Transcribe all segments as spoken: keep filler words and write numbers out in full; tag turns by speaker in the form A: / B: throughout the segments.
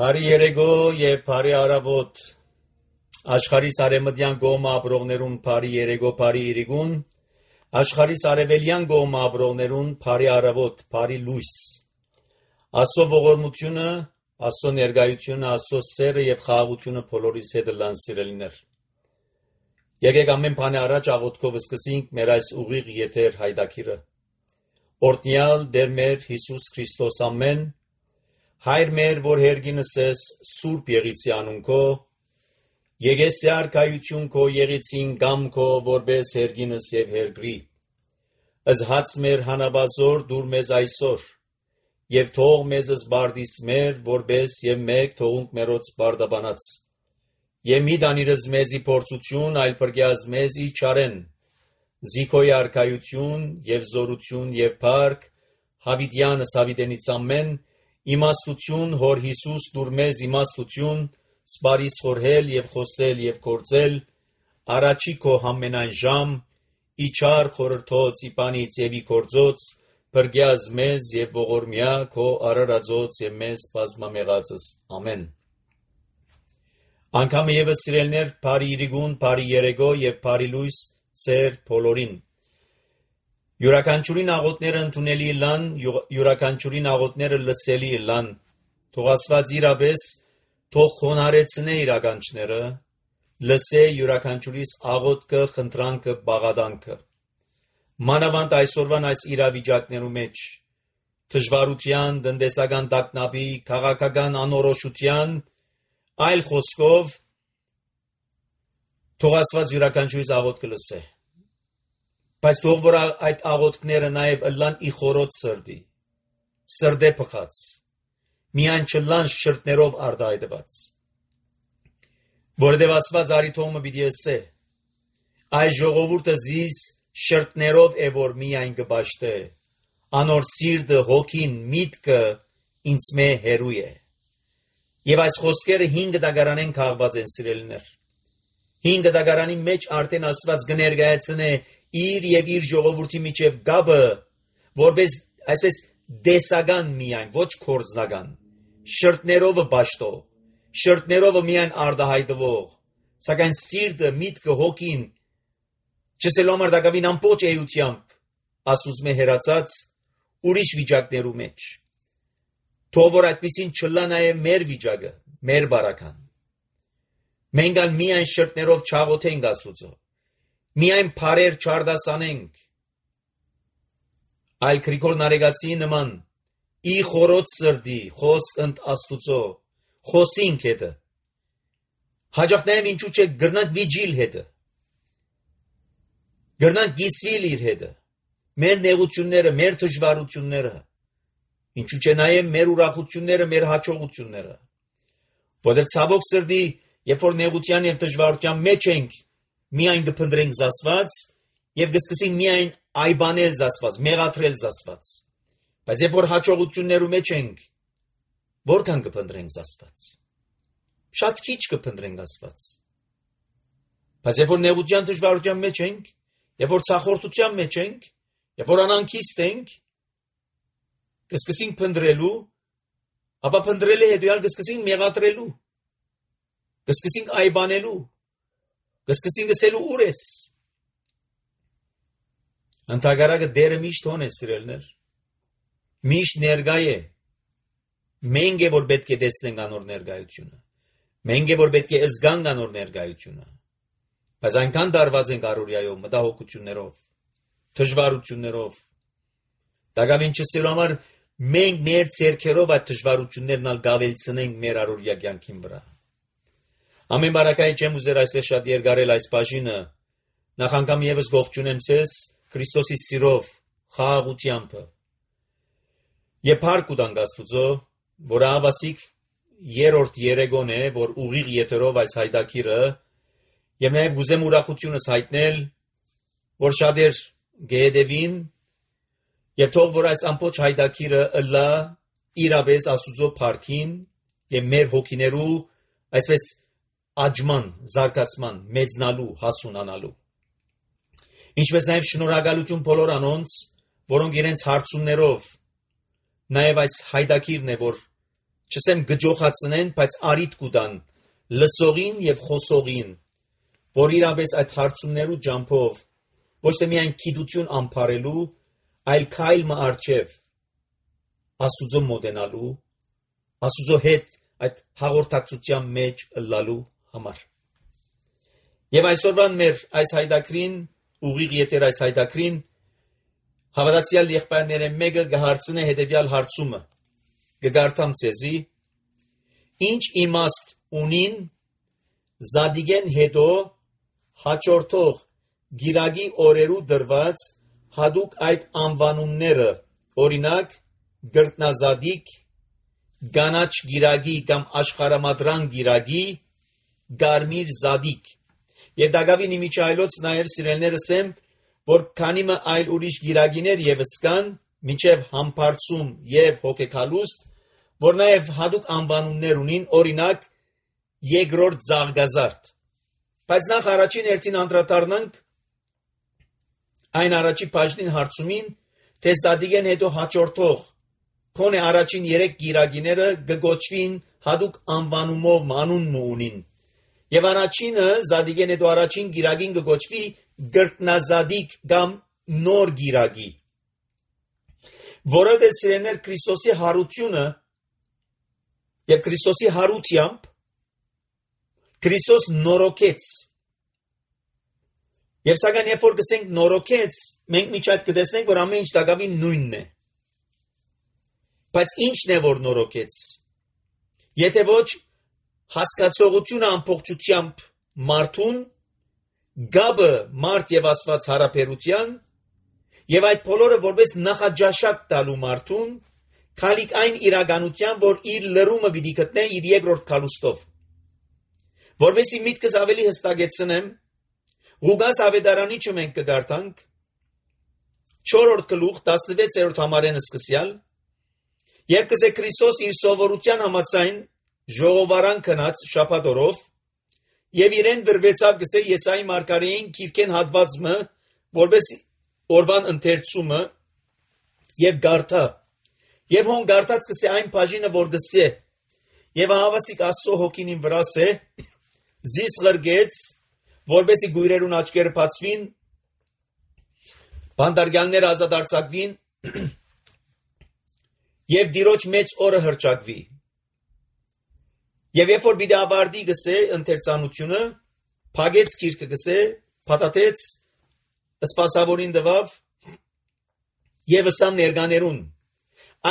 A: Բարի երեկո եւ բարի առավոտ աշխարհի արևմտյան կողմը ապրողներուն բարի երեկո բարի իրիկուն աշխարհի արևելյան կողմը ապրողներուն բարի առավոտ բարի լույս Աստծո ողորմությունը Աստծո ներկայությունը Աստծո սերը եւ խաղաղությունը բոլորիս հետ լան սիրելիներ Եկեք ամեն բանի առաջ աղոթքով սկսենք մեր այս ուղիղ եթեր հայտակիրը Օրհնյալ Տեր մեր Հիսուս Քրիստոս ամեն Հայր մեր, որ հերգինս ես սուրբ եղիցի անունքո, եղես է արկայություն քո եղիցին գամ քո, որպես հերգինս և հերգրի, ըզհաց մեր հանաբազոր դուր մեզ այսօր, և թող մեզ զբարդիս մեր, որպես և մեկ թողունք մերոց բարդաբանած, և մի դանիրս մեզի փորձություն, այլ պրգյազ մեզի չարեն, զիքոյ արկայություն և զորություն և պարկ, հավիդյանս հավիդենից ամեն, Իմաստություն հոր Հիսուս դուր մեզ իմաստություն, սպարիս խորհել և խոսել և գործել, առաջի քո համենայն ժամ, իչար խորհրդոց իպանից և ի գործոց, պրգյազ մեզ և ողորմյա քո արարածոց և մեզ բազմամեղածս, ամեն։ Անգամը ևս սիրելներ բարի իրիկուն, բարի երեկո և բարի լույս ծեր բոլորին։ Յուրաքանչյուրին աղոթները ընդունելի լան, յուրաքանչյուրին աղոթները լսելի լան, թող Աստված իրապես թող խոնարհեցնե իր ականջները, լսե յուրաքանչյուրիս աղոթքը, խնդրանքը, բաղադանքը։ Մանավանդ այսօրվան այս իրավիճակներու մեջ, դժվարության, տնտեսական տագնապի, քաղաքական անորոշության, այլ խոսքով թող Աստված յուրաքանչյուրիս աղոթքը լսե։ Բայց թող որ այդ աղոթքները նաև ըլլան ի խորոց սրտի, սրտե փխած, միայն չլան շրթներով արտահայտված։ Որովհետև Աստված արիթողը պիտի ասե, այս ժողովուրդը զիս շրթներով է որ միայն կպաշտե, անոր սիրտը, հոգին, միտքը ինձ մե հերու է։ Եվ այս խոսքերը հինգ դագարանեն քաղված են սիրելիներ։ Հինգ դագարանի մեջ արդեն Աստված կներկայացնե իր եւ իր ժողովրդի միջև գաբը, որպես այսպես դեսական միայն, ոչ կորձնական, շրթներով պաշտող, շրթներով միայն արտահայտվող, սակայն սիրտը, միտքը, հոգին, չսելու համար դակավին ամբողջ էությամբ Աստծուց մե հերացած ուրիշ վիճակներու մեջ։ Թող որ այդպիսին չլա նաև մեր վիճակը, մեր բարական։ Մենք ալ միայն շրթներով չաղոթենք Աստծո, միայն բարեր չարդասանենք, այլ Գրիգոր Նարեկացի նման, ի խորոց սրտի, խոսք ընդ Աստուծո, խոսինք հետը, հաջող նաև ինչու չէ գրնանք վիջիլ հետը, գրնանք գիսվիլ իր հետը, մեր նեղությունները, մեր դժվարությունները, ինչու չէ նաև մեր ուրախությունները, մեր հաջողությունները, որտեղ ցավոք սրտի Երբ որ նեղության և դժվարության մեջ ենք, միայն կփնտրենք Աստված և կսկսենք միայն այբանել Աստված, մեղադրել Աստված։ Բայց երբ որ հաջողություններու մեջ ենք, որքան կփնտրենք Աստված։ Շատ քիչ կփնտրենք Աստված։ Բայց երբ որ նեղության դժվարության մեջ ենք, երբ որ ցախորտության մեջ ենք, երբ որ անանքիստ ենք, կսկսենք փնտրելու, ապա փնտրելի հետո կսկսենք մեղադրելու Կսկսենք այբանելու, կսկսենք ասելու ուր ես։ Ընդհակառակը Տերը միշտ հոն է սիրելներ, միշտ ներկա է, մենք է որ պետք է տեսնենք անոր ներկայությունը, մենք է որ պետք է զգանք անոր ներկայությունը, բայց այնքան դարված ենք առօրյայով, մտահոգություններով, դժվարություններով, դակավին չսելու համար մենք մեր ցերքերով այդ դժվարություններն ալ գավելցնենք մեր առօրյա կյանքին վրա։ Ամեն բարակայի չեմ ուզեր այսպես շատ երկարել այս բաժինը, նախ անգամ ևս գողջունեմ ձեզ Քրիստոսի սիրով, խաղաղությամբ։ Եվ փառք ուտանք Աստուծո, որ ահավասիկ երրորդ երեկոն է, որ ուղիղ եթերով այս հայտակիրը, եւ նաեւ գուզեմ ուրախությունս հայտնել, որ շատեր գեհդեվին, եւ թող որ այս ամբողջ հայտակիրը ըլլա իրապես Աստուծո փառքին եւ մեր հոգիներու այսպես աճման, զարգացման, մեծնալու, հասունանալու։ Ինչպես նաև շնորհակալություն բոլոր անոնց, որոնք իրենց հարցումներով նաև այս հայտակիրն է, որ չսեմ գջոխացնեն, բայց արիտ կուտան լսողին եւ խոսողին, որ իրապես այդ հարցումներու ջամփով ոչ թե միայն քիդություն ամփարելու, այլ քայլ մը արջև Աստուծո մոտենալու, Աստուծո հետ այդ հաղորդակցության մեջ ըլլալու համար։ Եվ այսօրվան մեր այս հայդակրին, ուղիղ ետեր այս հայդակրին, հավատացյալ եղբայրները մեկը կհարցնե հետևյալ հարցումը, կգարտամ ցեզի, ինչ իմաստ ունին Զադիգեն հետո հաջորդող գիրագի օրերու դրված հadouk այդ անվանումները, օրինակ գրտնազադիկ, գանաչ գիրագի կամ աշխարհամադրան գիրագի, գարմիր զադիկ։ Եվ դակավին իմիջայլոց նաև սիրելներս եմ, որ քանի մը այլ ուրիշ գիրագիներ եւս կան, մինչև համբարձում եւ հոգեկալուստ, որ նաև հadouk անվանումներ ունին, օրինակ երկրորդ զաղգազարդ։ Բայց նախ առաջին հերթին անդրադառնանք այն առաջի բաժնին հարցումին, թե Զադիգեն հետո հաջորդող քոնե առաջին երեք գիրագիները գգոչվին հadouk անվանումով մանուն ունին։ Եվ առաջինը Զադիգեն հետո առաջին գիրագին գգոչվի գրտնազադիկ կամ նոր գիրագի։ Որովհետև սիրելիներ Քրիստոսի հարությունը եւ Քրիստոսի հարությամբ Քրիստոս նորոգեց։ Եվ սակայն երբ որ գսենք նորոգեց, մենք միջ այդ կտեսնենք, որ ամեն ինչ դակավին նույնն է։ Բայց ի՞նչն է որ նորոգեց։ Եթե ոչ հասկացողությունը ամբողջությամբ մարդուն, գաբը մարդ եւ Աստված հարաբերության, եւ այդ բոլորը որպես նախաճաշակ տալու մարդուն, քալիք այն իրականության, որ իր լրումը պիտի գտնե իր երկրորդ քալուստով։ Որովհետեւ միտքս ավելի հստակեցնեմ, Ղուկաս ավետարանիչը մենք կգարտանք չորրորդ գլուխ տասնվեցերորդ համարեն սկսյալ, երբ կսե Քրիստոս իր սովորության համաձայն ժողովարան քնած շաբաթօրով եւ իրեն դրվեցավ գսե Եսայի մարգարեին քիրքեն հատվածը, որպես օրվան ընթերցումը եւ գարտա եւ հոն գարտած կսե այն բաժինը որ գսե եւ հավասիկ Աստծո հոգին վրաս է զիս ղրգեց որբեսի գույրերուն աչքերը բացվին, բանդարգյալները ազատ արձակվին եւ դիրոջ մեծ օրը հրճակվի։ Եվ երբ որ պիտի ավարտի գսե ընթերցանությունը, փագեց գիրքը գսե, փաթաթեց, սպասավորին դվավ եւ ըսամ ներկաներուն։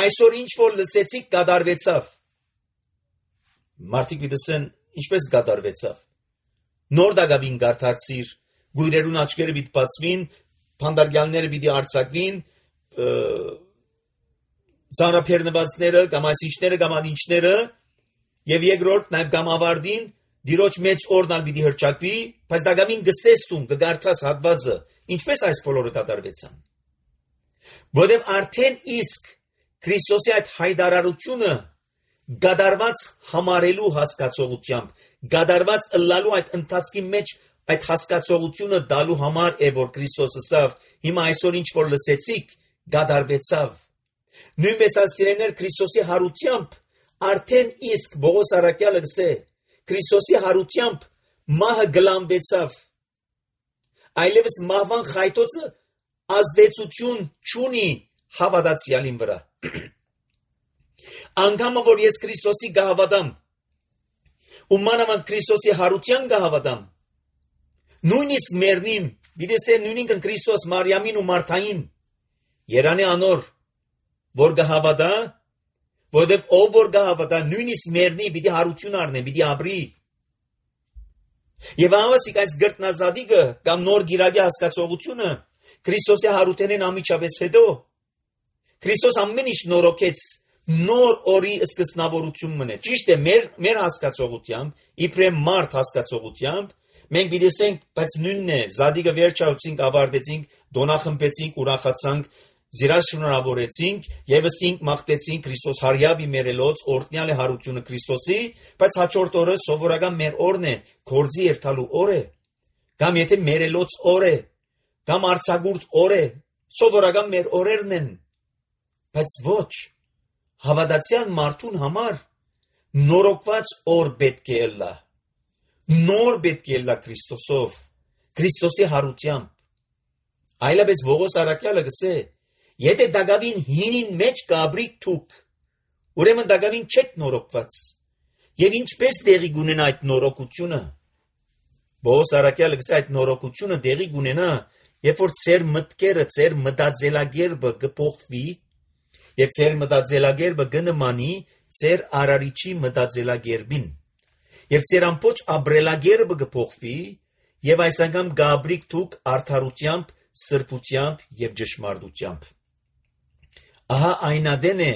A: Այսօր ինչ որ լսեցիք կատարվեցավ։ Մարդիկ պիտի ինչպես կատարվեցավ։ Նոր դակավին գարտարցիր, գույրերուն աչքերը պիտի բացվին, բանդարգյալները պիտի արձակվին, ծանրափեռնվածները կամ այսինչները կամ անինչները եւ երկրորդ նաեւ կամ ավարտին դիրոջ մեծ օրնալ պիտի հրճակվի, բայց դակավին գսեստում կգարտաս հատվածը, ինչպես այս բոլորը կատարվեցան։ Որովհետեւ արդեն իսկ Քրիստոսի այդ հայտարարությունը գադարված համարելու հասկացողությամբ, գադարված ըլլալու այդ ընթացքի մեջ այդ հասկացողությունը դալու համար է, որ Քրիստոսը ասավ, հիմա այսօր ինչ որ լսեցիք, գադարվեցավ։ Նույնպես ասիրեներ Քրիստոսի հարությամբ արդեն իսկ Բողոս Արաքյալը գսե, Քրիստոսի հարությամբ մահը գլանվեցավ։ Այլևս մահվան խայտոցը ազդեցություն չունի հավատացյալին վրա։ Անգամը որ ես Քրիստոսի գահավատամ, ու մանավանդ Քրիստոսի հարության գահավատամ, նույնիսկ մերնին, գիտեսե նույնինքն Քրիստոս Մարիամին ու Մարթային, երանի անոր, որ գահավատա, որովհետև ով որ գահավատա, նույնիսկ մերնի պիտի հարություն առնե, պիտի ապրի։ Եվ հավասիկ այս գրտնազադիկը կամ նոր գիրագի հասկացողությունը Քրիստոսի հարութենեն ամիջապես հետո Քրիստոս ամեն ինչ նորոգեց, նոր օրի սկզբնավորություն մնե։ Ճիշտ է, մեր մեր հասկացողությամբ, իբրեմ մարդ հասկացողությամբ, մենք պիտի ասենք, բայց նույնն է, Զադիկը վերջացուցինք, ավարտեցինք, դոնախմբեցինք, ուրախացանք, զիրաշնորհավորեցինք, եւսինք մաղթեցինք Քրիստոս հարյավի մերելոց, օրտնյալ է հարությունը Քրիստոսի, բայց հաջորդ օրը սովորական մեր օրն է, գործի երթալու օր է, կամ եթե մերելոց օր է, կամ արցագուրտ օր է, սովորական մեր օրերն են, բայց ոչ, հավատացյալ մարդուն համար նորոգված օր պետք է ելա, նոր պետք է ելա Քրիստոսով, Քրիստոսի հարությամբ, այլապես Պողոս առաքյալը գսե, եթե դակավին հինին մեջ կաբրիկ թուք, ուրեմն դակավին չեք նորոգված, եւ ինչպես տեղի կունենա այդ նորոգությունը, Պողոս առաքյալը գսե այդ նորոգությունը տեղի կունենա, երբ որ ծեր մտքերը, ծեր մտածելակերպը կփոխվի, եւ ծեր մտածելակերպը կնմանի ծեր արարիչի մտածելակերպին, եւ ծեր ամբողջ ապրելակերպը կփոխվի, եւ այս անգամ կաբրիկ թուք արդարությամբ, սրբությամբ եւ ճշմարտությամբ։ Ահա այնադեն է,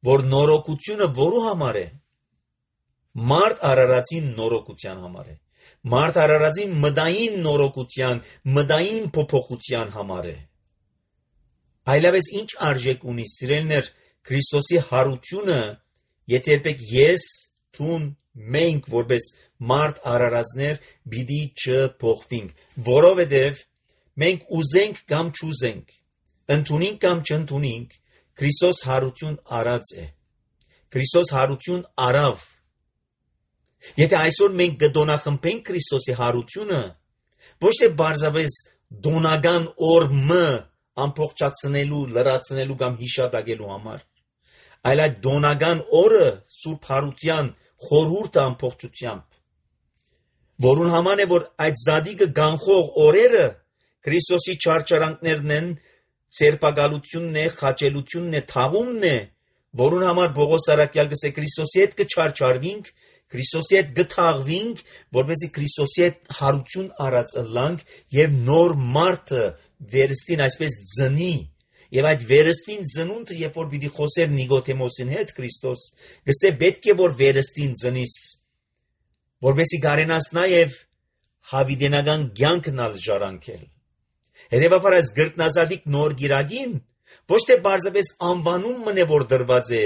A: որ նորոգությունը որու համար է, մարդ արարածին նորոգության համար է, մարդ արարածին մտային նորոգության, մտային փոփոխության համար է։ Այլապես ինչ արժեք ունի, սիրելիներ, Քրիստոսի հարությունը, եթե երբեք ես, թուն, մենք որպես մարդ արարածներ պիտի չփոխվենք, որովհետև մենք ուզենք կամ չուզենք, ընդունենք կամ չընդունենք, Քրիստոս հարություն արած է, Քրիստոս հարություն արավ։ Եթե այսօր մենք կդոնախմբենք Քրիստոսի հարությունը, ոչ թե բարձրապես դոնական օրը ամփոփչացնելու, լրացնելու կամ հիշատակելու համար, այլ այդ դոնական օրը սուրբ հարության խորհուրդը ամփոփչությամբ, որուն համար է, որ այդ զադիկը գանխող օրերը Քրիստոսի չարչարանքներն են, սերպակալությունն է, խաչելությունն է, թաղումն է, որուն համար Պողոս առաքյալ գսե Քրիստոսի հետ կչարչարվինք, Քրիստոսի հետ գթաղվինք, որպեսզի Քրիստոսի հետ հարություն արած ըլլանք եւ նոր մարդը վերստին այսպես ծնի, եւ այդ վերստին ծնունդը, երբ որ պիտի խոսեր Նիկոդեմոսին հետ Քրիստոս, գսե պետք է որ վերստին ծնիս, որպեսզի կարենաս նաեւ հավիտենական կյանքն ալ ժառանգել։ Հետևաբար այս գրտնազատիկ նոր գիրագին ոչ թե բարձրապես անվանումն է, որ դրված է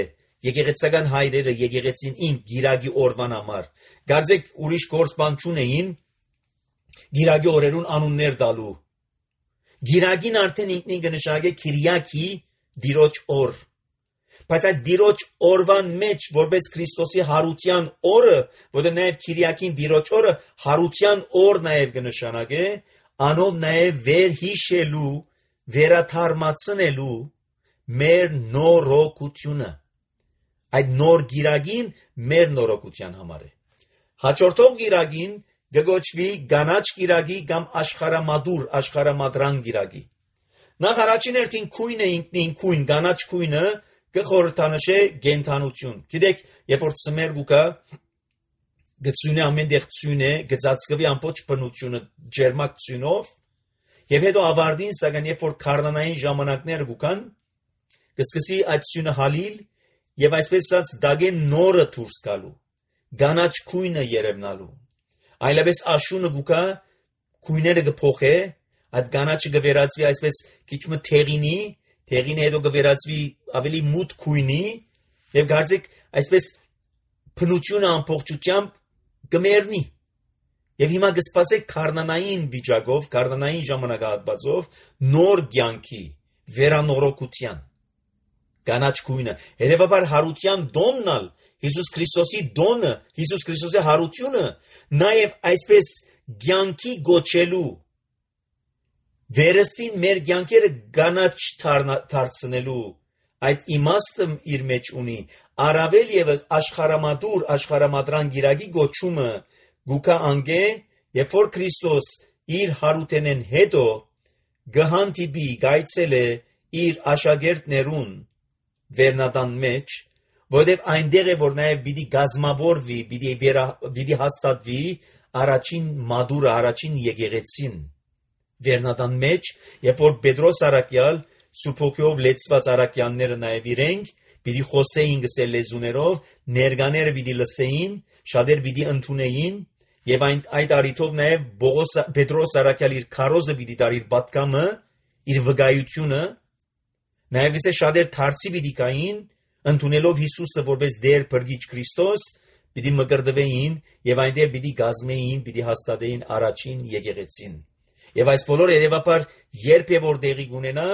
A: եկեղեցական հայրերը եկեղեցին ին գիրագի օրվան համար, գարձեք ուրիշ գործ բան չունեին գիրագի օրերուն անուններ տալու։ Գիրագին արդեն ինքնին կնշանակե Քիրիակի դիրոջ օր, բայց այդ դիրոջ օրվան մեջ որպես Քրիստոսի հարության օրը, որը նաև Քիրիակին դիրոջ օրը հարության օր նաև կնշանակե, անով նաև վերհիշելու, վերաթարմացնելու մեր նորոգությունը։ Այդ նոր գիրագին մեր նորոգության համար է։ Հաջորդող գիրագին գոչվի գանաչ գիրագի կամ աշխարհամադուր, աշխարհամադրան գիրագի։ Նախ առաջին հերթին քույնը ինքնին քույն, գանաչ քույնը կխորհրդանշե գենթանություն։ Գիտեք, երբ որ ծմեր գուկա գծյունը ամենտեղ ծյուն է, գծածկվի ամբողջ բնությունը ջերմակ ծյունով, եւ հետո ավարտին, սակայն երբ որ քարնանային ժամանակներ գուկան, կսկսի այդ ծյունը հալիլ եւ այսպես ասած դագեն նորը դուրս գալու, գանաչ քույնը երևնալու։ Այլապես աշունը գուկա քույները կփոխե, այդ գանաչը կվերածվի այսպես քիչ մը թեղինի, թեղինը հետո կվերածվի ավելի մութ քույնի եւ գարձեք այսպես բնությունը ամբողջությամբ կմեռնի։ Եվ հիմա կսպասեք քարնանային վիճակով, քարնանային ժամանակահատվածով նոր կյանքի վերանորոգության գանաչ քույնը։ Հետևաբար հարության դոննալ Հիսուս Քրիստոսի դոնը, Հիսուս Քրիստոսի հարությունը նաև այսպես կյանքի գոչելու վերստին մեր կյանքերը գանաչ դարձնելու այդ իմաստը իր մեջ ունի, առավել եւս աշխարհամադուր, աշխարհամադրան գիրագի գոչումը գուկա անգե, երբ որ Քրիստոս իր հարութենեն հետո գհանտիբի գայցել է իր աշակերտներուն վերնատան մեջ, որտեղ այնտեղ է որ նաև պիտի գազմավորվի, պիտի վերա, պիտի հաստատվի առաջին մադուրը, առաջին եկեղեցին վերնատան մեջ, երբ որ Պետրոս առաքյալ Սուրբոգիով լեցված առաքյալները նաև իրենք պիտի խոսեին գսել լեզուներով, ներկաները պիտի լսեին, շատեր պիտի ընդունեին, եւ այն այդ առիթով նաև Պողոս Պետրոս առաքյալ իր քարոզը պիտի տար իր պատկամը, իր վկայությունը, նաև իսկ շատեր դարձի պիտի կային, ընդունելով Հիսուսը որպես Տեր Փրկիչ Քրիստոս, պիտի մկրտվեին եւ այնտեղ պիտի գազմեին, պիտի հաստատեին առաջին եկեղեցին։ Եվ այս բոլորը հետևաբար երբ եւ որ տեղի կունենա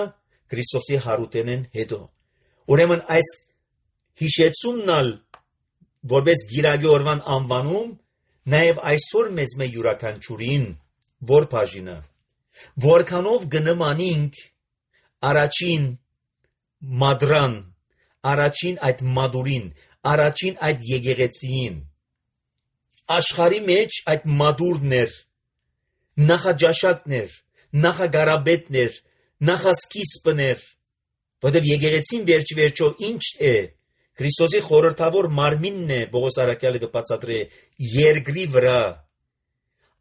A: Քրիստոսի հարութենեն հետո։ Ուրեմն այս հիշեցումնալ որպես գիրագի օրվան անվանում, նաև այսօր մեզ մե յուրաքանչյուրին, որ բաժինը, որքանով գնմանինք առաջին մադրան, առաջին այդ մադուրին, առաջին այդ եկեղեցիին, աշխարի մեջ այդ մադուրներ, նախաջաշակներ, նախագարաբետներ, նախասկիզբներ, որտև եկեղեցին վերջ վերջո ինչ է, Քրիստոսի խորհրդավոր մարմինն է, Պողոս առաքյալը կբացատրի երկրի վրա,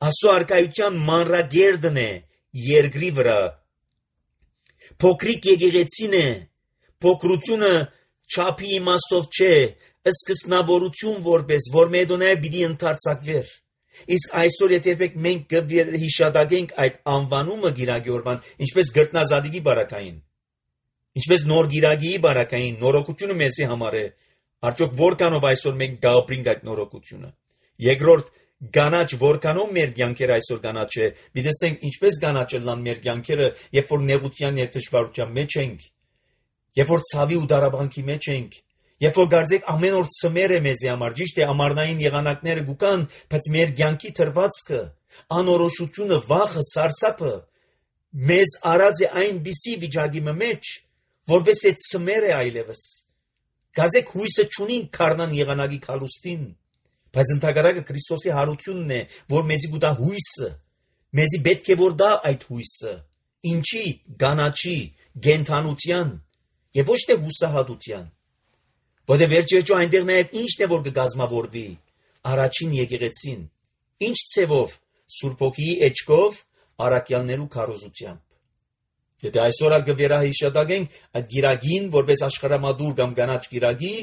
A: Աստծո արքայության մանրագերդն է երկրի վրա, փոքրիկ եկեղեցին է, փոքրությունը չափի իմաստով չէ, սկզբնավորություն որպես, որ մեդոնայը պիտի ընդարձակվեր, իսկ այսօր եթե երբեք մենք կհիշադակենք այդ անվանումը գիրագի օրվան, ինչպես գրտնազատիկի բարակային, ինչպես նոր գիրագիի բարակային, նորոգությունը մեզի համար է, արդյոք որքանով այսօր մենք գապրինք այդ նորոգությունը, երկրորդ Գանաչ որքանով մեր կյանքերը այսօր գանաչ է, դիտենք ինչպես գանաչելան մեր կյանքերը, երբ որ նեղության եւ դժվարության մեջ ենք, երբ որ ցավի ու դարաբանքի մեջ ենք, երբ որ գարձեք ամեն օր ծմեր է մեզի համար, ճիշտ է ամառնային եղանակները գուկան, բայց մեր կյանքի թրվածքը, անորոշությունը, վախը, սարսափը մեզ արած է այնպիսի վիճակի մեջ, որպես է ծմեր է այլևս։ Գարձեք հույսը չունին քարնան եղանակի քալուստին, բայց ընդհակառակը Քրիստոսի հարությունն է, որ մեզի գուտա հույսը, մեզի պետք է որ դա այդ հույսը, ինչի, գանաչի, գենթանության եւ ոչ թե հուսահատության, որտեղ վերջերջո այնտեղ նաեւ ինչն է որ կգազմավորվի, առաջին եկեղեցին, ինչ ցևով, Սուրբ Հոգիի էջքով, առաքյալներու քարոզությամբ։ Եթե այսօր ալ կվերահիշադակենք այդ գիրագին, որպես աշխարհամադուր կամ գանաչ գիրագի,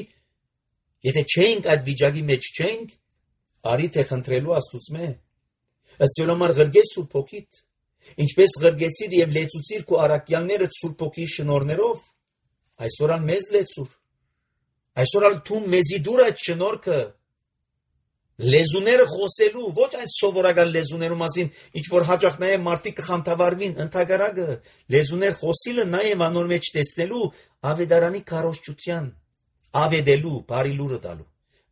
A: եթե չենք այդ վիճակի մեջ չենք, արի թե խնդրելու Աստուծմե, ըստ յոլոմար ղրգես Սուրբ Հոգիդ, ինչպես ղրգեցիր եւ լեցուցիր քո առաքյալները Սուրբ Հոգիի շնորհներով, այսօր ալ մեզ լեցուր, այսօր ալ թում մեզի դուր այդ շնորհքը, լեզուները խոսելու, ոչ այն սովորական լեզուներու մասին, ինչ որ հաճախ նաեւ մարդիկ կխանդավառվին, ընդհակառակը լեզուներ խոսիլը նաեւ անոր մեջ տեսնելու ավետարանի քարոզչության, ավետելու, բարի լուրը տալու,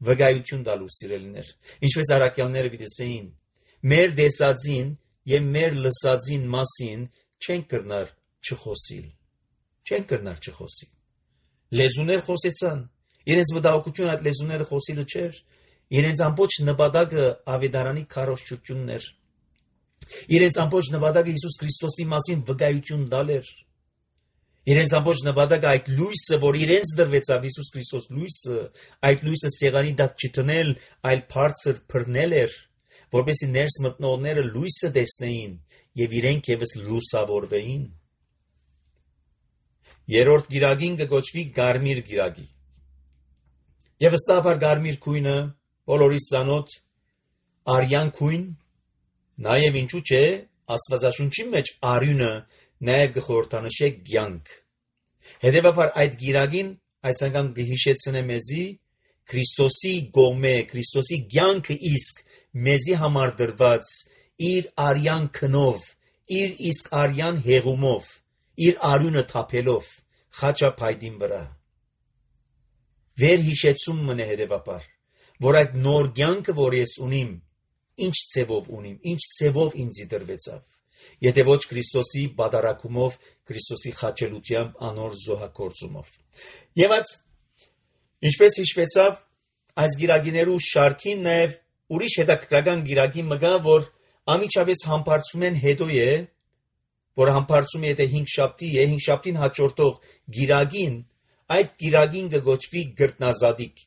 A: վկայություն տալու սիրելիներ, ինչպես առաքյալները դիտեցին, մեր դեսածին եւ մեր լսածին մասին չեն կրնար չխոսիլ, չեն կրնար չխոսիլ, լեզուներ խոսեցան, իրենց վտահողությունը այդ լեզուները խոսիլը չէր, իրենց ամբողջ նպատակը ավետարանի քարոզչությունն էր, իրենց ամբողջ նպատակը Հիսուս Քրիստոսի մասին վկայություն տալ էր, իրենց ամբողջ նպատակը այդ լույսը, որ իրենց դրվեցավ Հիսուս Քրիստոս լույսը, այդ լույսը սեղանի տակ չտնել, այլ բարձր բռնել էր, որպեսզի ներս մտնողները լույսը տեսնեին եւ իրենք եւս լուսավորվեին։ Երրորդ գիրագին կոչվի Գարմիր գիրագի։ Եվ ըստաբար Գարմիր քույնը բոլորիս ծանոթ արյան քույն, նաեւ ինչու՞ չէ, Աստվածաշունչի մեջ արյունը նաեւ գխորհրդանշե կյանք։ Հետևաբար այդ գիրագին այս անգամ կհիշեցնե մեզի Քրիստոսի գոմե, Քրիստոսի կյանքը իսկ մեզի համար դրված իր արյան քնով, իր իսկ արյան հեղումով, իր արյունը թափելով խաչափայտին վրա։ Վեր հիշեցում մնե հետևաբար, որ այդ նոր կյանքը, որ ես ունիմ, ինչ ցևով ունիմ, ինչ ցևով ինձի դրվեցավ, եթե ոչ Քրիստոսի բادرակումով, Քրիստոսի խաչելությամբ, անոր զոհակործումով։ Եվ այդ ինչպես հիշվեցավ այս գիրագիներու շարքին նաև ուրիշ հետաքրքրական գիրագի մգա, որ ամիջապես համբարձում են հետո է, որ համբարձում է եթե հինգ շաբթի է, հինգ շաբթին հաջորդող գիրագին, այդ գիրագին կգոչվի գրտնազատիկ։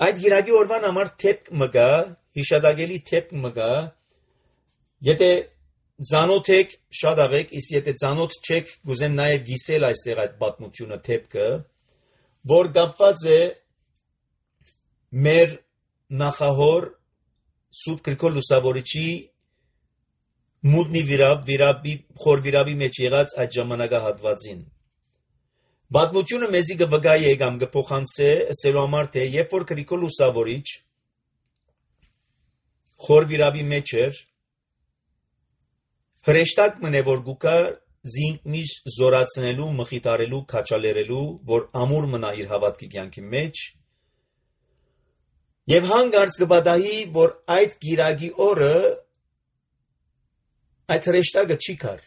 A: Այդ գիրագի օրվան համար թեփք մգա, հիշադակելի թեփք մգա, եթե ծանոթ եք, շատ աղեք, իսկ եթե ծանոթ չեք, գուզեմ նաև գիսել այստեղ այդ պատմությունը թեփքը, որ կապված է մեր նախահոր Սուրբ Գրիգոր Լուսավորիչի մուտնի վիրապ, վիրապի, խոր վիրապի մեջ եղած այդ ժամանակահատվածին։ Պատմությունը մեզի կվկայի է կամ կփոխանցե ասելու համար թե երբ որ Գրիգոր Լուսավորիչ խոր վիրապի մեջ էր, հրեշտակ մնե որ գուկա զինք միշտ զորացնելու, մխիթարելու, քաչալերելու, որ ամուր մնա իր հավատքի կյանքի մեջ, Եվ հանգարց կպատահի, որ այդ գիրագի օրը այդ հրեշտակը չի կար։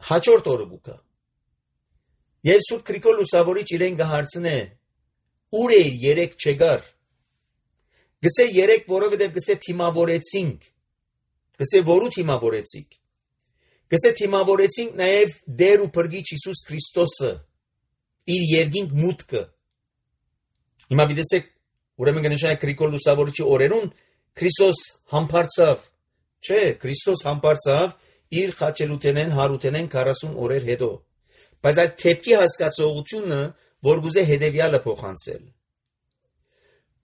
A: Հաջորդ օրը գուկա։ Եվ Սուրբ Գրիգոր Լուսավորիչ իրեն կհարցնե. ուր է երեք չեկար։ Գսե երեք, որովհետև գսե թիմավորեցինք։ Գսե որու թիմավորեցինք։ Գսե թիմավորեցինք նաև Տեր ու Փրկիչ Հիսուս Քրիստոսը իր երկինք մուտքը։ Հիմա դիտեք, ուրեմն կնշանակի Գրիգոր Լուսավորիչի օրերուն Քրիստոս համբարձավ, չէ, Քրիստոս համբարձավ իր խաչելութենեն հարութենեն քառասուն օրեր հետո։ Բայց այդ թեփքի հասկացողությունը, որ գուզե հետևյալը փոխանցել,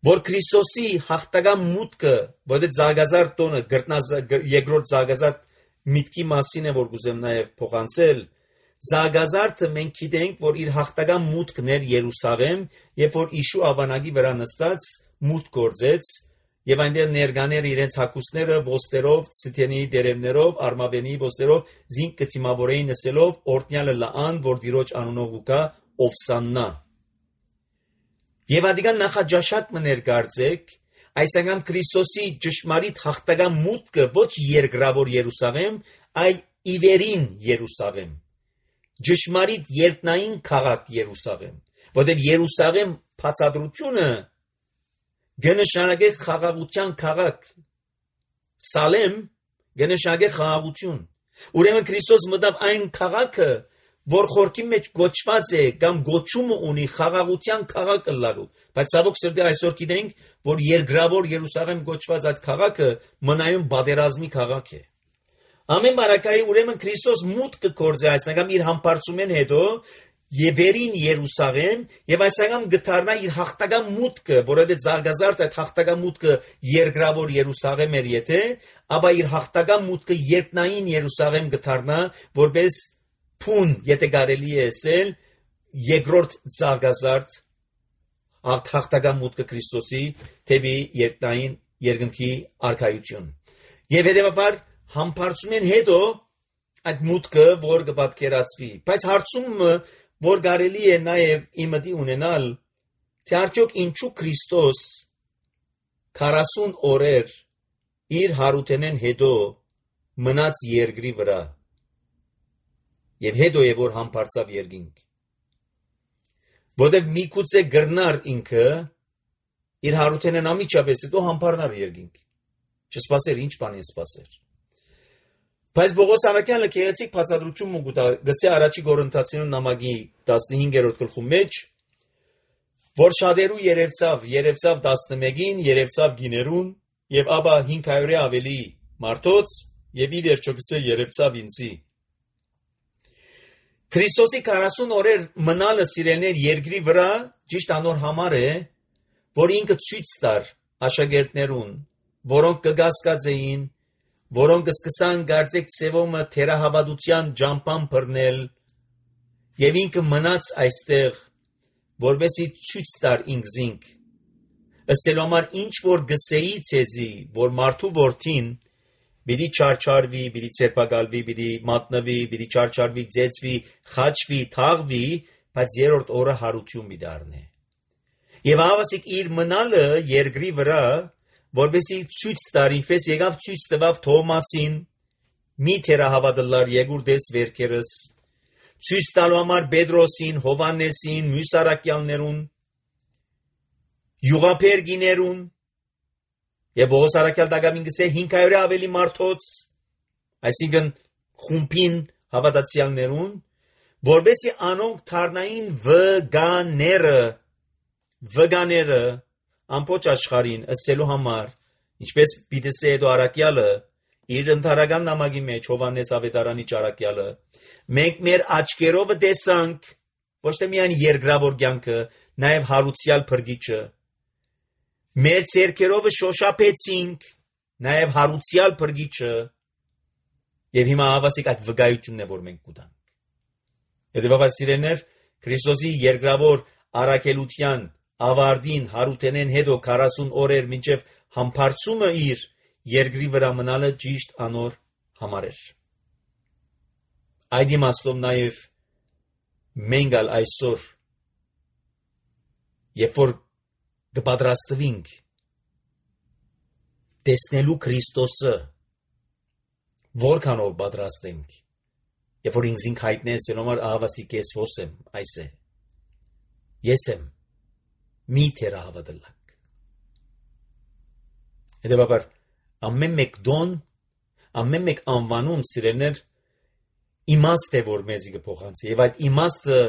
A: որ Քրիստոսի հաղթական մուտքը, որը զարգազարդ տոնը երկրորդ զարգազարդ միտքի մասին է, որ գուզեմ նաև փոխանցել, զարգազարդը մենք գիտենք, որ իր հաղթական մուտքն էր Երուսաղեմ, երբ որ Իշու ավանագի վրա նստած մուտք գործեց, եւ այնտեղ ներկաներ իրենց հագուստները ոստերով, ցիթենի դերևներով, արմավենի ոստերով զինք կթիմավորեին նսելով օրտնյալը լան, որ Տիրոջ անունով ուկա Օվսաննա։ Եվ ադիգան նախաջաշակ մներ կարծեք, այս անգամ Քրիստոսի ճշմարիտ հաղթական մուտքը ոչ երկրավոր Երուսաղեմ, այլ իվերին Երուսաղեմ, ճշմարիտ երկնային քաղաք Երուսաղեմ, որտեղ Երուսաղեմ բացատրությունը գնշանակե խաղաղության քաղաք, Սալեմ գնշանակե խաղաղություն։ Ուրեմն Քրիստոս մտավ այն քաղաքը, որ խորքի մեջ գոչված է կամ գոչումը ունի խաղաղության քաղաք ըլլալու, բայց ցավոք սրտի այսօր գիտենք, որ երկրավոր Երուսաղեմ գոչված այդ քաղաքը մնայուն բادرազմի քաղաք է։ Ամեն բարակայի ուրեմն Քրիստոս մուտք կգործի այս անգամ իր համբարձումեն հետո Եվերին Երուսաղեմ եւ այս անգամ գտարնա իր հաղթական մուտքը, որովհետեւ զարգազարդ այդ հաղթական մուտքը երկրավոր Երուսաղեմ էր եթե, ապա իր հաղթական մուտքը երկնային Երուսաղեմ գտարնա, որպես փուն, եթե կարելի է ասել, երկրորդ զարգազարդ հաղթական մուտքը Քրիստոսի թեպի երկնային երկնքի արքայություն։ Եվ հետեւաբար համբարձումեն հետո այդ մուտքը, որ կպատկերացվի, բայց հարցումը որ կարելի է նաև իմդի ունենալ, թե արդյոք ինչու Քրիստոս քառասուն օրեր իր հարութենեն հետո մնաց երկրի վրա եւ հետո է որ համբարձավ երկինք, որտեղ միգուցե գրնար ինքը իր հարութենեն ամիջապես հետո համբարնար երկինք, չսպասեր ինչ բան է սպասեր։ Բայց Պողոս Արաքյանը քեղեցիկ բացատրություն մուգուտա գսե առաջի Կորինթացիներուն նամակի տասնհինգերորդ գլխում մեջ, որ շատերու երևցավ, երևցավ տասնմեկին, երևցավ գիներուն, եւ ապա հինգ հարյուրի ավելի մարդոց, եւ ի վերջո գսե երևցավ ինձի։ Քրիստոսի քառասուն օրեր մնալը սիրելներ երկրի վրա ճիշտ անոր համար է, որ ինքը ցույց տար աշակերտներուն, որոնք կգասկած էին, որոնք սկսան գարձեք ծևոմը թերահավատության ջամփան բռնել, եւ ինքը մնաց այստեղ, որովհետեւ ցույց տար ինքզինք։ Ըստ համար ինչ որ գսեի ցեզի, որ մարդու որդին պիտի չարչարվի, պիտի ցերպակալվի, պիտի մատնվի, պիտի չարչարվի, ձեցվի, խաչվի, թաղվի, բայց երրորդ օրը հարություն պիտի առնե։ Եվ ավասիկ իր մնալը երկրի վրա որբեսի ցույց տար, ինչպես եկավ ցույց տվավ Թոմասին, մի թերահավատալար երկուրդես վերքերս, ցույց տալու համար Պետրոսին, Հովանեսին, մյուս առաքյալներուն, յուղափերգիներուն, եւ Պողոս Արաքյալ դակամին գսե հինգ հարյուրի ավելի մարդոց, այսինքն խումբին հավատացյալներուն, որբեսի անոնք դառնային վգաները, վգաները ամբողջ աշխարհին ասելու համար, ինչպես Պիտեսի հետո Արաքյալը իր ընթարական նամակի մեջ Հովանես Ավետարանի ճարակյալը, մենք մեր աչքերով տեսանք ոչ թե միայն երկրավոր կյանքը, նաև հարուցյալ Փրկիչը, մեր ձեռքերով շոշափեցինք նաև հարուցյալ Փրկիչը, եւ հիմա ավասիկ այդ վկայությունն է, որ մենք կուտանք։ Հետեւաբար սիրելիներ, Քրիստոսի երկրավոր առաքելության ավարտին հարութենեն հետո քառասուն օրեր մինչև համբարձումը իր երկրի վրա մնալը ճիշտ անոր համար էր։ Այդ իմաստով նաև մենք ալ այսօր, երբ որ կպատրաստվենք տեսնելու Քրիստոսը, որքանով պատրաստենք, երբ որ ինքզին հայտնես, ելոմար ահավասի կես ոսեմ, այս է, ես եմ, մի թերահավը դլակ։ Հետևաբար, ամեն մեկ դոն, ամեն մեկ անվանում սիրելներ, իմաստ է, որ մեզի կփոխանցի, եւ այդ իմաստը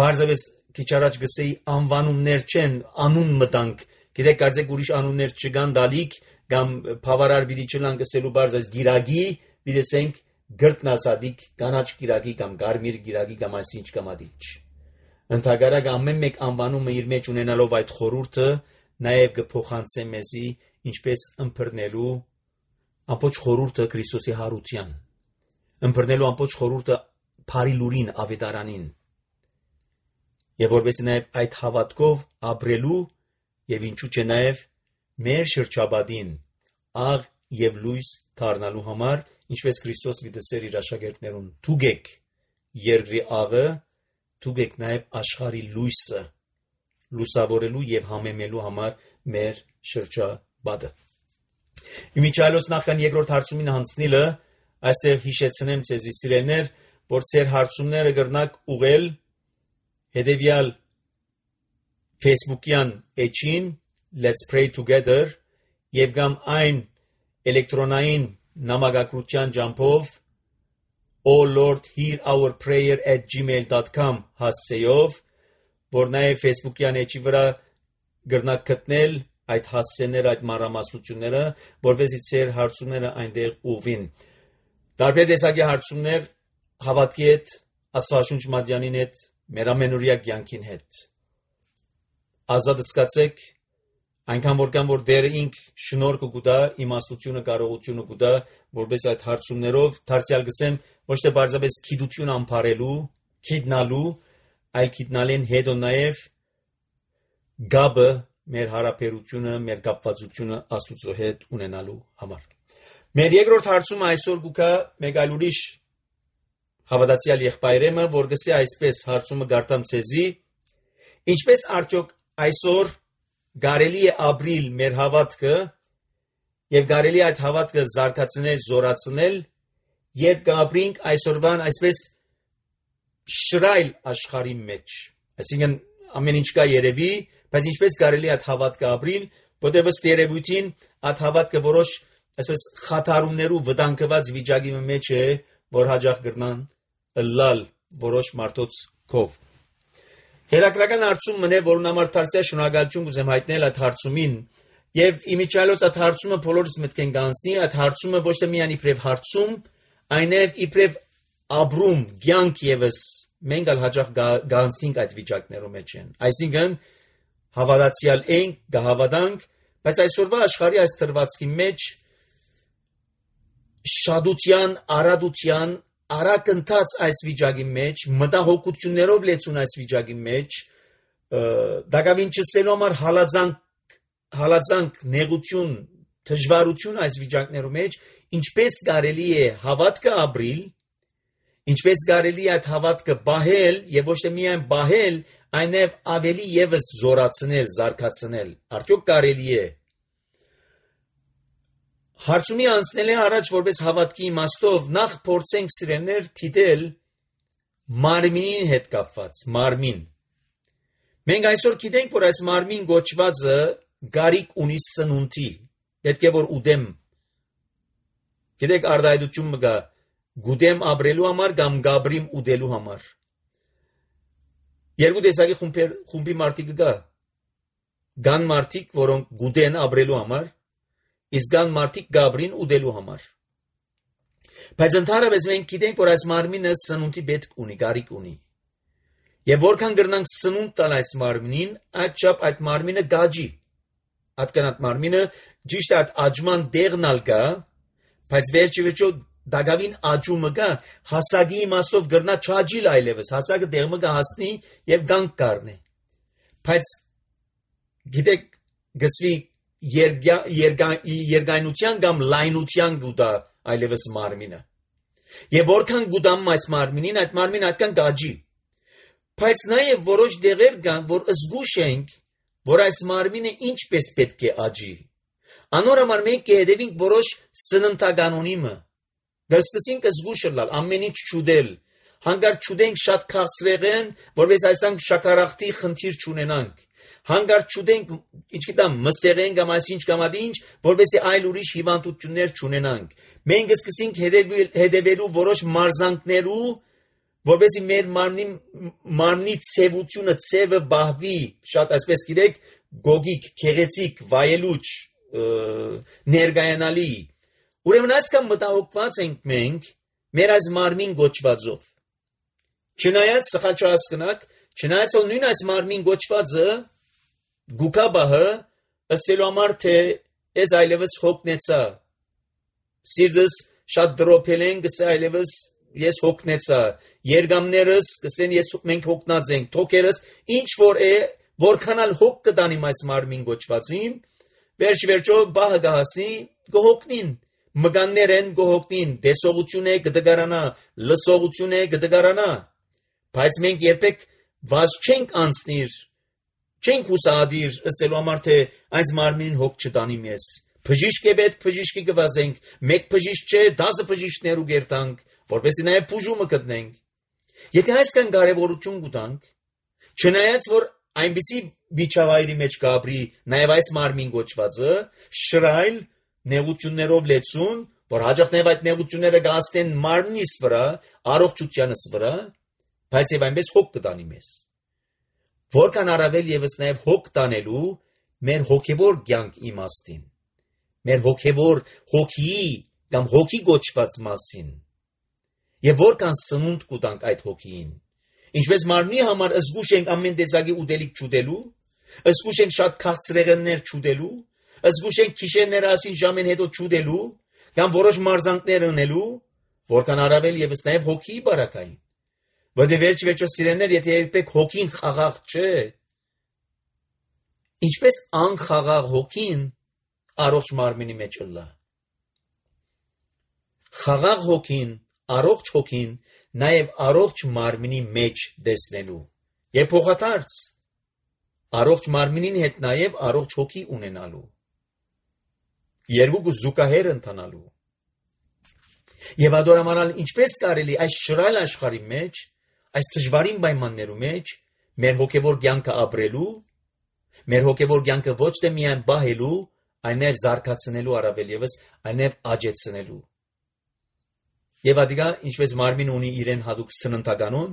A: բարձրապես քիչ առաջ գսեի անվանումներ չեն, անուն մտանք, գիտեք, կարծեք ուրիշ անուններ չկան դալիք, կամ բավարար պիտի չլան գսելու բարձ այս գիրագի, պիտեսենք գրտնասադիկ, կանաչ գիրագի կամ կարմիր գիրագի կամ այսինչ կամ ադիչ։ Ընդհակառակ ամեն մեկ անվանումը իր մեջ ունենալով այդ խորհուրդը նաև կփոխանցե մեզի ինչպես ըմբռնելու ամբողջ խորհուրդը Քրիստոսի հարության, ըմբռնելու ամբողջ խորհուրդը Փարի լուրին ավետարանին, եւ որովհետեւ նաև այդ հավատքով ապրելու եւ ինչու՞ չէ նաև մեր շրջապատին աղ եւ լույս դառնալու համար, ինչպես Քրիստոս վիդեսեր իր աշակերտներուն, թուգեք երկրի աղը, թուգեք նաև աշխարհի լույսը, լուսավորելու եւ համեմելու համար մեր շրջապատը։ Իմիջայլոց նախքան երկրորդ հարցումին հանցնելը, այստեղ հիշեցնեմ ձեզի սիրելներ, որ ձեր հարցումները կրնակ ուղել հետևյալ Facebook-յան էջին Let's Pray Together եւ կամ այն էլեկտրոնային նամակագրության ջամփով Oh Lord hear our prayer at gmail dot com հասցեով, որ նաև Facebook-յան էջի վրա գրնակ գտնել այդ հասցեները, այդ մանրամասնությունները, որովհետեւ ձեր հարցումները այնտեղ ուղին։ Տարբեր տեսակի հարցումներ հավատքի հետ, Աստվածաշունչ մատյանին հետ, մեր ամենօրյա կյանքին հետ։ Ազատ զգացեք, այնքան որքան որ դեր ինք շնորհքը կուտա, իմաստությունը, կարողությունը կուտա, որպես այդ հարցումներով դարձյալ գսեմ ոչ թե բարձրապես քիդություն ամփարելու, քիդնալու, այլ քիդնալեն հետո նաև գաբը մեր հարաբերությունը, մեր կապվածությունը Աստծո հետ ունենալու համար։ Մեր երկրորդ հարցումը այսօր կուքա մեկ այլ ուրիշ հավատացյալ եղբայրեմը, որ գսե այսպես հարցումը գարտամ ցեզի, ինչպես արդյոք այսօր կարելի է ապրիլ մեր հավատքը եւ կարելի այդ հավատքը զարգացնել, զորացնել, երբ կապրինք այսօրվան այսպես շրայլ աշխարհի մեջ։ Այսինքն ամեն ինչ կա երևի, բայց ինչպես կարելի այդ հավատքը ապրիլ, որտեղ ըստ երևույթին այդ հավատքը որոշ այսպես խաթարումներով վտանգված վիճակի մեջ է, որ հաջող կգնան ըլլալ որոշ մարդոց կով։ Հետաքրական հարցում մնե, որուն համար դարձյալ շնորհակալություն կուզեմ հայտնել այդ հարցումին, եւ իմիջիալոց այդ հարցումը բոլորիս մտքեն կանցնի, այդ հարցումը ոչ թե միայն իբրև հարցում, այնև իբրև ապրում, կյանք եւս մենք ալ հաջող կանցնենք այդ վիճակներում մեջ են։ Այսինքն հավատացյալ ենք, կհավատանք, բայց այսօրվա աշխարհի այս դրվածքի մեջ շադության, արադության, արակընթաց այս վիճակի մեջ, մտահոգություններով լեցուն այս վիճակի մեջ, դակավին չսելու համար հալածանք, հալածանք, նեղություն, դժվարություն այս վիճակներում մեջ, ինչպես կարելի է հավատքը ապրիլ, ինչպես կարելի է այդ հավատքը բահել եւ ոչ թե միայն բահել, այնև ավելի եւս զորացնել, զարգացնել։ Արդյոք կարելի է։ Հարցումի անցնելը առաջ որպես հավատքի իմաստով նախ փորձենք սիրելներ դիտել մարմինին հետ կապված, մարմին։ Մենք այսօր գիտենք, որ այս մարմին գոչվածը գարիկ ունի սնունդի, պետք է որ ուդեմ։ Գիտեք արդայդություն մգա, գուդեմ ապրելու համար կամ գաբրիմ ուդելու համար։ Երկու տեսակի խումբի մարդիկ կա։ Կան մարդիկ, որոնք գուդեն ապրելու համար, իսկ կան մարդիկ գաբրին ուդելու համար։ Բայց ընդհանրապես մենք գիտենք, որ այս մարմինը սնունդի պետք ունի, գարիկ ունի։ Եվ որքան կրնանք սնունդ տալ այս մարմինին, այդչափ այդ մարմինը գաջի։ Այդ մարմինը ճիշտ է այդ աճման դեղնալ կա, բայց վերջի վերջո դակավին աճումը կա, հասակի իմաստով կրնա չաճիլ այլևս, հասակը դեղմը կհասնի եւ գանք կառնի։ Բայց գիտեք, գսվի երկայնության կամ լայնության գուտա այլևս մարմինը։ Եվ որքան գուտամ այս մարմինին, այդ մարմինը այդքան գաջի։ Բայց նաև որոշ դեղեր կան, որ զգուշ ենք որ այս մարմինը ինչպես պետք է աճի։ Անոր համար մենք կհետևենք որոշ սննդականոնիմը։ Դրսկսինք զգուշը լալ, ամեն ինչ չուդել, հանգարտ չուդենք շատ քաղցրեղեն, որպես այսանք շաքարախտի խնդիր չունենանք։ Հանգարտ չուդենք, ինչ գիտեմ, մսեղեն կամ այսինչ կամ ինչ, որպեսզի այլ ուրիշ հիվանդություններ չունենանք։ Մենք սկսենք հետևելու որոշ մարզանքներու, որպեսզի մեր մարմնի մարմնի ցևությունը, ցևը բահվի, շատ այսպես գիտեք, գոգիկ, քեղեցիկ, վայելուչ, ներգայանալի։ Ուրեմն այսքան մտահոգված ենք մենք մեր այս մարմին գոչվածով։ Չնայած սխալ չհասկնաք, չնայած որ նույն այս մարմին գոչվածը գուկաբահը ասելու համար թե ես այլևս հոգնեցա։ Սիրտս շատ դրոփել են, գսե այլևս ես հոգնեցա։ Երգամներս կսեն ես մենք հոգնած ենք, թոքերս ինչ որ է, որքանալ հոգ կտանիմ այս մարմին գոչվածին, վերջ վերջո բահը գահասնի գողոքնին, մգաններ են գողոքնին, դեսողություն է գդգարանա, լսողություն է գդգարանա, բայց մենք երբեք վազ չենք անցնիր, չենք հուսադիր ասելու համար թե այս մարմինին հոգ չտանիմ ես, բժիշկ է պետք բժիշկի գվազենք, մեկ բժիշկ չէ, դասը բժիշկներու գերտանք, որպեսզի նաև բուժումը գտնենք։ Եթե այսքան կարևորություն կտանք, չնայած որ այնպիսի վիճավայրի մեջ կապրի նաև այս մարմին գոչվածը, շրայլ նեղություններով լեցուն, որ հաջող նաև այդ նեղությունները գաստեն մարմնիս վրա, առողջությանս վրա, բայց եւ այնպես հոգ կտանի մեզ։ Որքան առավել եւս նաև հոգ տանելու մեր հոգեվոր կյանք իմաստին, մեր հոգեվոր հոգի կամ հոգի գոչված մասին, եւ որքան սնունդ կուտանք այդ հոգին։ Ինչպես մարմնի համար զգուշ ենք ամեն տեսակի ուտելիք չուտելու, զգուշ ենք շատ քաղցրեղեններ չուտելու, զգուշ ենք քիշերները ասին ժամեն հետո չուտելու, կամ որոշ մարզանքներ ունելու, որքան առավել եւս նաև հոգի բարակային։ Որտե վերջ վերջո սիրելիներ, եթե երբեք հոգին խաղաղ չէ, ինչպես անխաղաղ հոգին առողջ մարմինի մեջ ըլլա։ Խաղաղ հոգին, առողջ հոգին նաև առողջ մարմինի մեջ դեսնելու եւ փոխադարձ առողջ մարմինին հետ նաև առողջ հոգի ունենալու երկու զուգահեռ ընթանալու եւ ադորամանալ ինչպես կարելի այս շռայլ աշխարհի մեջ այս դժվարին պայմաններու մեջ մեր հոգեվոր կյանքը ապրելու մեր հոգեվոր կյանքը ոչ թե միայն բահելու այլ նաև զարգացնելու առավել եւս այլ նաև աճեցնելու Եվ ադիգա ինչպես մարմին ունի իրեն հadouk սննդականոն,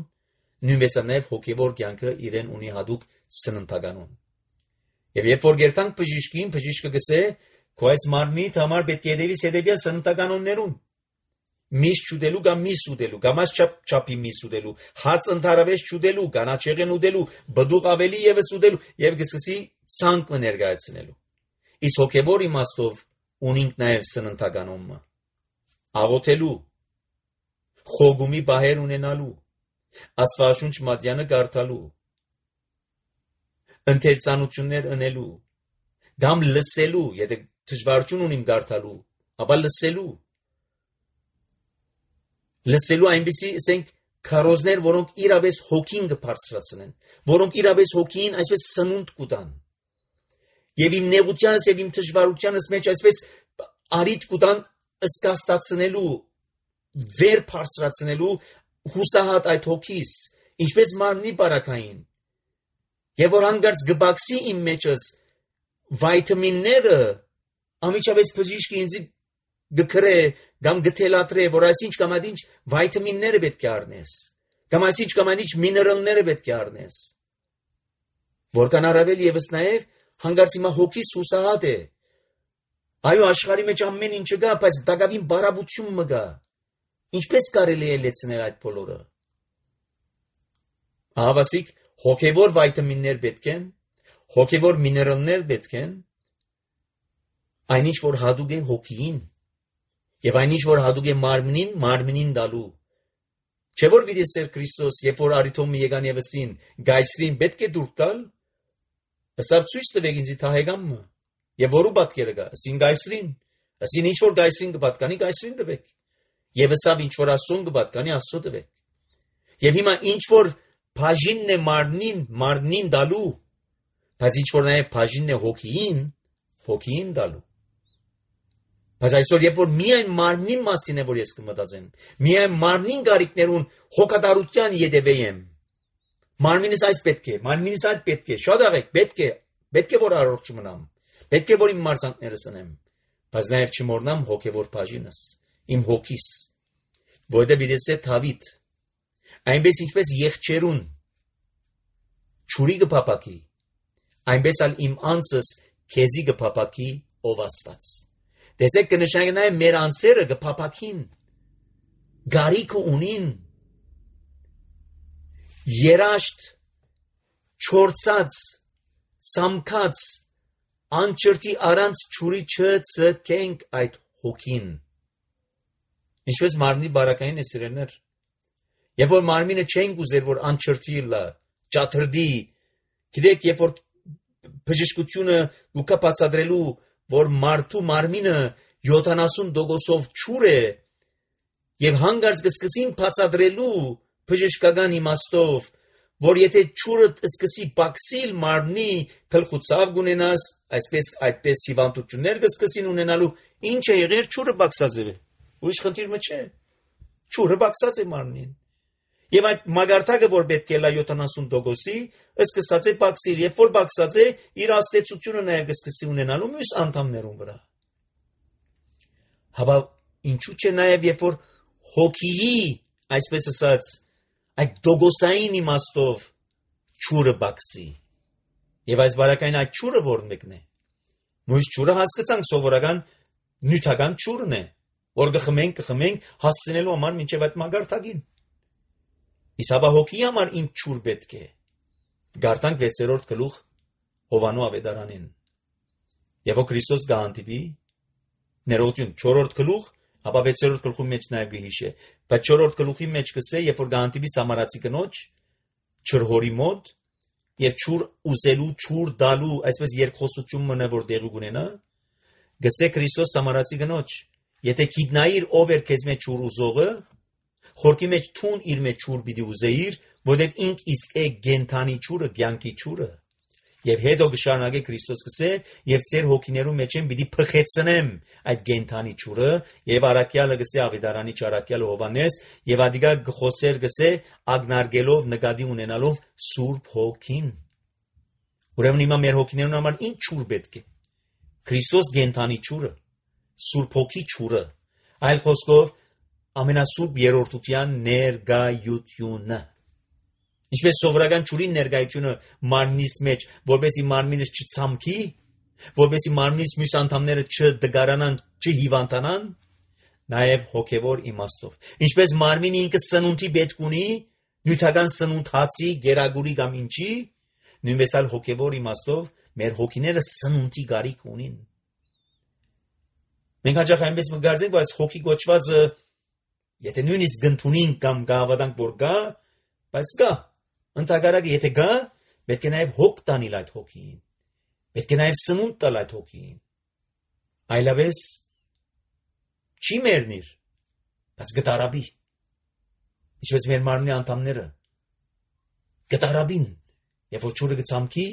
A: նույնպես նաև հոգևոր կյանքը իրեն ունի հadouk սննդականոն։ Եվ երբ որ գերտանք բժիշկին, բժիշկը գսե, քո այս մարմնի համար պետք է դեպի սեդեվիա սննդականոններուն։ Միս չուտելու կամ միս ուտելու, կամ այս չափ չափի միս ուտելու, հաց ընդհանրապես չուտելու, կանաչեղեն ուտելու, բդուղ ավելի եւս ուտելու եւ գսկսի ցանկ ներկայացնելու։ Իսկ հոգևոր իմաստով ունինք նաև սննդականոնը։ Աղոթելու Խոգումի բահեր ունենալու, աստվածաշունչ մատյանը կարդալու, ընթերցանություններ ընելու, կամ լսելու, եթե դժվարություն ունիմ կարդալու, ապա լսելու, լսելու այնպիսի, ասենք, քարոզներ, որոնք իրապես հոգին կբարձրացնեն, որոնք իրապես հոգին այսպես սնունդ կուտան, եւ իմ նեղությանս եւ իմ դժվարությանս մեջ այսպես արիտ կուտան ըսկաստացնելու վեր բարձրացնելու հուսահատ այդ հոգիս, ինչպես մարմնի բարակային, եւ որ հանգարց գբաքսի իմ մեջս վիտամինները, ամիջապես բժիշկը ինձ գկրե կամ գթելատրե, որ այսինչ կամ այնինչ վիտամինները պետք է առնես, կամ այսինչ կամ այնինչ միներալները պետք է առնես, որքան առավել եւս նաեւ հանգարց հիմա հոգիս հուսահատ է, այո աշխարհի մեջ ամեն ինչ կա, բայց դակավին բարաբություն մը գա, ինչպես կարելի է լեցնել այդ բոլորը։ Ահավասիկ հոգևոր վիտամիններ պետք են, հոգևոր միներալներ պետք են, այնինչ որ հadouk է հոգին, եւ այնինչ որ հadouk է մարմնին, մարմնին դալու։ Չէ որ պիտի Սեր Քրիստոս, երբ որ արիթոմը եկան եւսին, գայսրին պետք է դուրք տալ, ասավ ցույց տվեք ինձ թահեգամը, եւ որու պատկերը գա, ասին գայսրին, ասին ինչ որ գայսրին կպատկանի, գայսրին տվեք։ Եվ ասավ ինչ որ Աստծուն կպատկանի Աստծո տվեք։ Եվ հիմա ինչ որ բաժինն է մարմնին, մարմնին դալու, Բայց ինչ որ նաև բաժինն է հոգին, հոգին դալու։ Բայց այսօր երբ որ միայն մարմնի մասին է որ ես կմտածեմ, միայն մարմնին գարիկներուն հոգատարության յետևեմ։ Մարմինս այս պետք է, մարմինս այդ պետք է, շատ աղեք, պետք է, պետք է որ առողջ մնամ, պետք է որ իմ մարզանքները սնեմ, բայց նաև չմոռնամ հոգևոր բաժինս, իմ հոգիս, որտեղ դիտես Դավիթ, այնպես ինչպես եղջերուն ճուրի կփապակի, այնպես ալ իմ անձս քեզի կփապակի ով Աստված։ Տեսեք կնշանակի նաև մեր անձերը կփապակին, գարիքը ունին, երաշտ, չորցած, ցամքած, անչրտի առանց ճուրի չծկենք այդ հոգին։ Ինչպես մարմնի բարակային է սիրելներ, երբ որ մարմինը չենք ուզեր, որ անչրտի լա, ճաթրդի, գիտեք, երբ որ բժշկությունը գուկա բացատրելու, որ մարդու մարմինը յոթանասուն տոկոսով ճուր է, եւ հանգարց կսկսին բացատրելու բժշկական իմաստով, որ եթե ճուրը սկսի բացիլ մարմնի գլխուցավ գունենաս, այսպես այդպես հիվանդություններ կսկսին ունենալու, ինչ է եղեր ճուրը բացած է։ Ուրիշ խնդիրը չէ։ Ճուրը բացած է մարմնին։ Եվ այդ մագարտակը, որ պետք է լա յոթանասուն տոկոսի, սկսած է բացիլ, եւ որ բացած է, իր աստեցությունը նաև կսկսի ունենալու մյուս անդամներուն վրա։ Հաբա ինչու՞ չէ նաև երբ որ հոգիի, այսպես ասած, այդ տոկոսային իմաստով ճուրը բացի։ Եվ այս բարակային այդ ճուրը որն մեկն է։ Մյուս ճուրը հասկացանք սովորական նյութական ճուրն է, որ կխմենք, կխմենք հասցնելու համար մինչև այդ մագարտակին։ Իսկ հաբա հոգի համար ինչ ճուր պետք է։ Գարտանք վեցերորդ գլուխ Հովանու ավետարանին։ Եվ որ Քրիստոս գանտիպի ներողություն չորրորդ գլուխ, հաբա վեցերորդ գլխի մեջ նաև գհիշե, բայց չորրորդ գլուխի մեջ կսե, երբ որ գանտիպի Սամարացի կնոջ չրհորի մոտ եւ ճուր ուզելու, ճուր դալու, այսպես երկխոսություն մնա որ դեղի ունենա, գսե Քրիստոս Սամարացի կնոջ, եթե գիտնայիր ով էր քեզ մեջ ճուր ուզողը, խորքի մեջ թուն իր մեջ ճուր պիտի ուզեիր, որտեղ ինք իսկ է գենթանի ճուրը, կյանքի ճուրը։ Եվ հետո կշարունակե Քրիստոս կսե, եւ ծեր հոգիներու մեջ են պիտի փխեցնեմ այդ գենթանի ճուրը, եւ Արաքյալը կսե Ավետարանի Արաքյալը Հովանես, եւ ադիգա գխոսեր կսե ագնարգելով նկատի ունենալով Սուրբ Հոգին։ Ուրեմն հիմա մեր հոգիներուն համար ինչ ճուր պետք է։ Քրիստոս գենթանի ճուրը, Սուրբ Հոգի ճուրը, այլ խոսքով ամենասուրբ երրորդության ներգայությունը։ Ինչպես սովորական ճուրի ներգայությունը մարմնիս մեջ, որպեսզի մարմինս չցամքի, որպեսզի մարմնից մյուս անդամները չդգարանան, չհիվանդանան, նաև հոգևոր իմաստով։ Ինչպես մարմինը ինքը սնունդի պետք ունի, նյութական սնունդ հացի, գերագուրի կամ ինչի, նույնպես էլ հոգևոր իմաստով մեր հոգիները սնունդի գարիք ունին։ Մենք հաճախ այնպես մգարձենք, որ այս հոգի կոչվածը եթե նույնիսկ գնթունին կամ գավադանք որ գա, բայց գա, ընդհակարակը եթե գա, պետք է նաև հոգ տանել այդ հոգին, պետք է նաև սնունդ տալ այդ հոգին, այլապես չի մեռնիր, բայց գտարաբի, ինչպես մեր մարմնի անդամները, գտարաբին, եւ որ ճուրը գցամքի,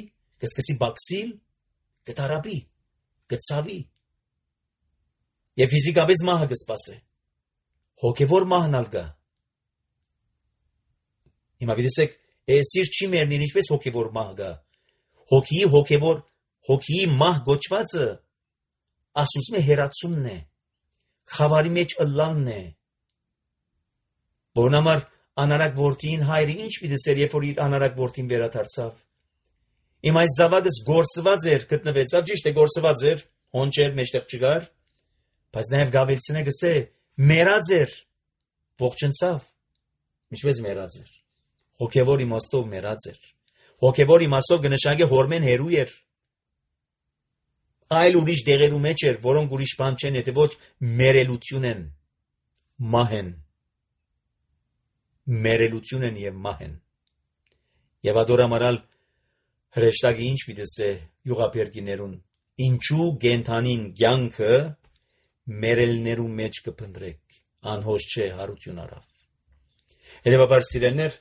A: կսկսի բացիլ, գտարաբի, գցավի, եւ ֆիզիկապես մահը կսպասե, հոգևոր մահն ալ գա։ Հիմա գիտեք, այսիր չի մեռնին, ինչպես հոգևոր մահ գա։ Հոգիի հոգևոր, հոգիի մահ գոչվածը Աստծո հերացումն է, խավարի մեջ ըլլալն է։ Որն համար անարակ որդին հայրը ինչ պիտի սեր, երբ որ իր անարակ որդին վերադարձավ։ Իմ այս զավակս գործված էր, գտնվեցավ, ճիշտ է գործված էր, հոնջեր մեջտեղ չգար, բայց նաև գավելցին է գսե, մերած էր, ողջնցավ, ինչպես մերած էր, հոգևոր իմաստով մերած էր, հոգևոր իմաստով կնշանակե հորմեն հերու էր, այլ ուրիշ դեղերու մեջ էր, որոնք ուրիշ բան չեն, եթե ոչ մերելություն են, մահ են, մերելություն են և մահ են, և ադորամարալ հրեշտակի ինչ պիտես է յուղապերգիներուն, ինչու գենթանին կյանքը մերելներու մեջ կփնտրեք, անհոս չէ հարություն արավ։ Հետևաբար սիրելներ,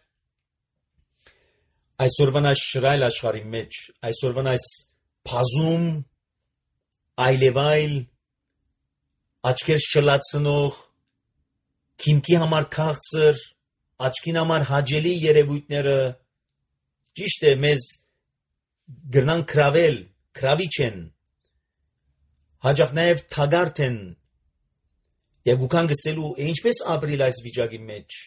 A: Այսօրվան այս շրայլ աշխարհի մեջ, այսօրվան այս փազում այլևայլ աչքեր շլացնող քիմքի համար քաղցր, աչքին համար հաճելի երևույթները ճիշտ է մեզ գրնան կրավել, կրավիչ են, հաճախ նաև թագարդ են եւ գուքան գսելու ինչպես ապրիլ այս վիճակի մեջ։